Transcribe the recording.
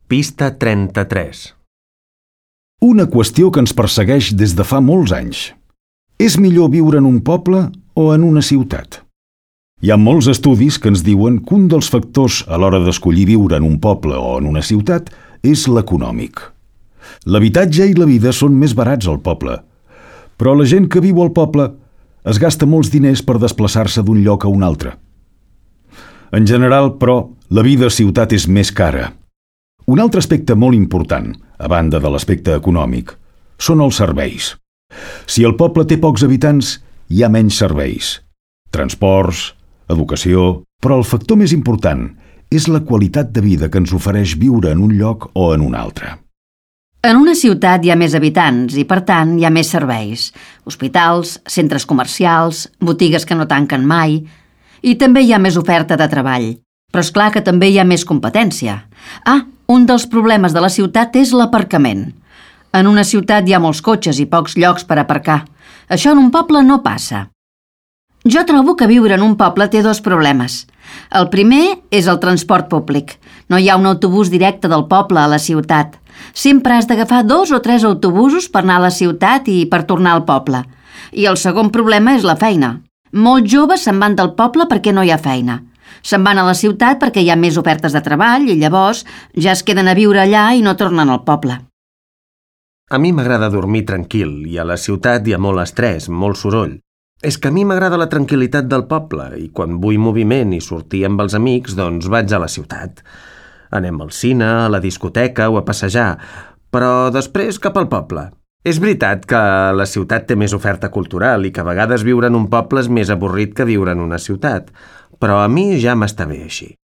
Pista 33. Una qüestió que ens persegueix des de fa molts anys. És millor viure en un poble o en una ciutat? Hi ha molts estudis que ens diuen que un dels factors a l'hora d'escollir viure en un poble o en una ciutat és l'econòmic. L'habitatge i la vida són més barats al poble, però la gent que viu al poble es gasta molts diners per desplaçar-se d'un lloc a un altre. En general, però, la vida a ciutat és més cara. Un altre aspecte molt important, a banda de l'aspecte econòmic, són els serveis. Si el poble té pocs habitants, hi ha menys serveis. Transports, educació... Però el factor més important és la qualitat de vida que ens ofereix viure en un lloc o en un altre. En una ciutat hi ha més habitants i, per tant, hi ha més serveis. Hospitals, centres comercials, botigues que no tanquen mai... I també hi ha més oferta de treball. Però és clar que també hi ha més competència. Un dels problemes de la ciutat és l'aparcament. En una ciutat hi ha molts cotxes i pocs llocs per aparcar. Això en un poble no passa. Jo trobo que viure en un poble té dos problemes. El primer és el transport públic. No hi ha un autobús directe del poble a la ciutat. Sempre has d'agafar 2 o 3 autobusos per anar a la ciutat i per tornar al poble. I el segon problema és la feina. Molts joves se'n van del poble perquè no hi ha feina. Se'n van a la ciutat perquè hi ha més ofertes de treball i llavors ja es queden a viure allà i no tornen al poble. A mi m'agrada dormir tranquil i a la ciutat hi ha molt estrès, molt soroll. És que a mi m'agrada la tranquil·litat del poble i quan vull moviment i sortir amb els amics, doncs vaig a la ciutat. Anem al cine, a la discoteca o a passejar, però després cap al poble. És veritat que la ciutat té més oferta cultural i que a vegades viure en un poble és més avorrit que viure en una ciutat, però a mi ja m'està bé així.